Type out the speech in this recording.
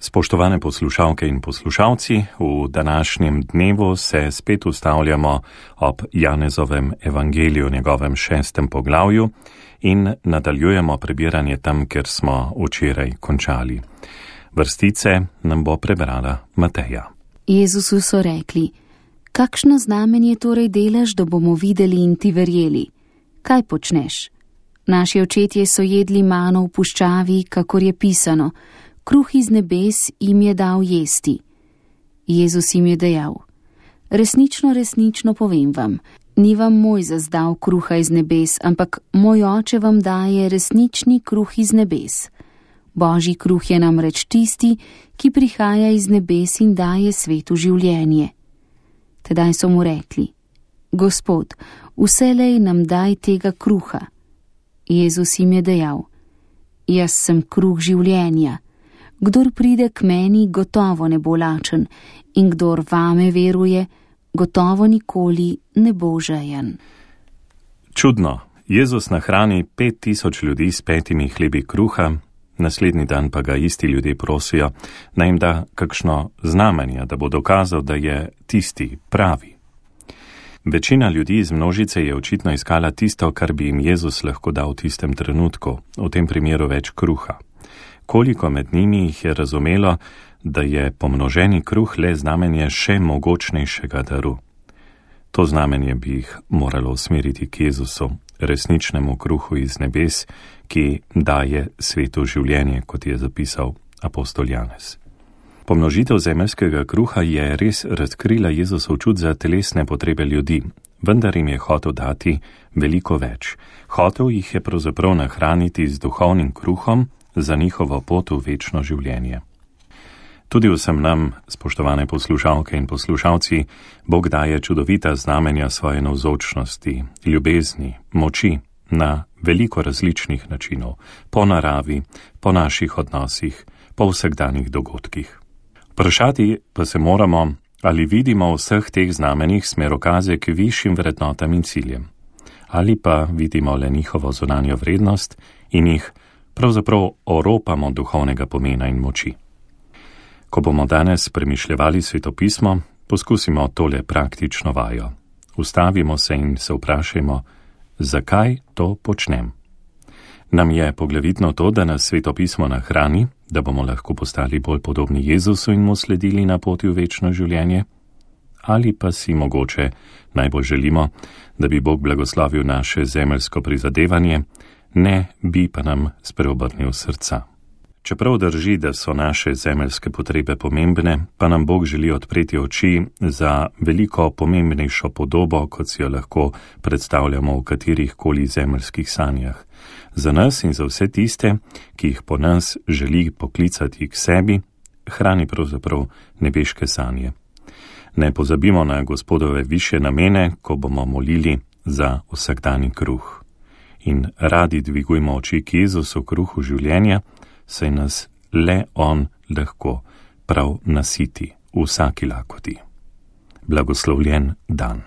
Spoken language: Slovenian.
Spoštovane poslušalke in poslušalci, v današnjem dnevu se spet ustavljamo ob Janezovem evangeliju, njegovem 6. poglavju in nadaljujemo prebiranje tam, kjer smo včeraj končali. Vrstice nam bo prebrala Mateja. Jezusu so rekli: kakšno znamenje torej delaš, da bomo videli in ti verjeli? Kaj počneš? Naši očetje so jedli mano v puščavi, kakor je pisano: kruh iz nebes jim je dal jesti. Jezus jim je dejal: resnično, resnično povem vam, ni vam Mojzes dal kruha iz nebes, ampak moj oče vam daje resnični kruh iz nebes. Božji kruh je namreč tisti, ki prihaja iz nebes in daje svetu življenje. Tedaj so mu rekli: Gospod, vselej nam daj tega kruha. Jezus jim je dejal: jaz sem kruh življenja. Kdor pride k meni, gotovo ne bo lačen, in kdor vame veruje, gotovo nikoli ne bo žejen. Čudno, Jezus nahrani 5000 ljudi s 5 hlebi kruha, naslednji dan pa ga isti ljudje prosijo, naj jim da kakšno znamenje, da bo dokazal, da je tisti pravi. Večina ljudi iz množice je očitno iskala tisto, kar bi jim Jezus lahko dal v tistem trenutku, v tem primeru več kruha. Koliko med njimi jih je razumelo, da je pomnoženi kruh le znamenje še mogočnejšega daru. To znamenje bi jih moralo usmeriti k Jezusu, resničnemu kruhu iz nebes, ki daje svetu življenje, kot je zapisal apostol Janez. Pomnožitev zemeljskega kruha je res razkrila Jezusov čut za telesne potrebe ljudi, vendar jim je hotel dati veliko več. Hotel jih je pravzaprav nahraniti z duhovnim kruhom za njihovo pot v večno življenje. Tudi vsem nam, spoštovane poslušalke in poslušalci, Bog daje čudovita znamenja svoje navzočnosti, ljubezni, moči na veliko različnih načinov, po naravi, po naših odnosih, po vsakdanjih dogodkih. Vprašati pa se moramo, ali vidimo v vseh teh znamenjih smerokaze k višjim vrednotam in ciljem, ali pa vidimo le njihovo zunanjo vrednost in jih pravzaprav oropamo duhovnega pomena in moči. Ko bomo danes premišljevali svetopismo, poskusimo tole praktično vajo. Ustavimo se in se vprašajmo, zakaj to počnem. Nam je poglavitno to, da nas svetopismo nahrani, da bomo lahko postali bolj podobni Jezusu in mu sledili na poti v večno življenje? Ali pa si mogoče najbolj želimo, da bi Bog blagoslovil naše zemeljsko prizadevanje, ne bi pa nam spreobrnil srca. Čeprav drži, da so naše zemeljske potrebe pomembne, pa nam Bog želi odpreti oči za veliko pomembnejšo podobo, kot si jo lahko predstavljamo v katerih koli zemeljskih sanjah. Za nas in za vse tiste, ki jih po nas želi poklicati k sebi, hrani pravzaprav nebeške sanje. Ne pozabimo na Gospodove višje namene, ko bomo molili za vsakdanji kruh. In radi dvigujmo oči k Jezusu, kruhu življenja, saj nas le On lahko prav nasiti v vsaki lakoti. Blagoslovljen dan.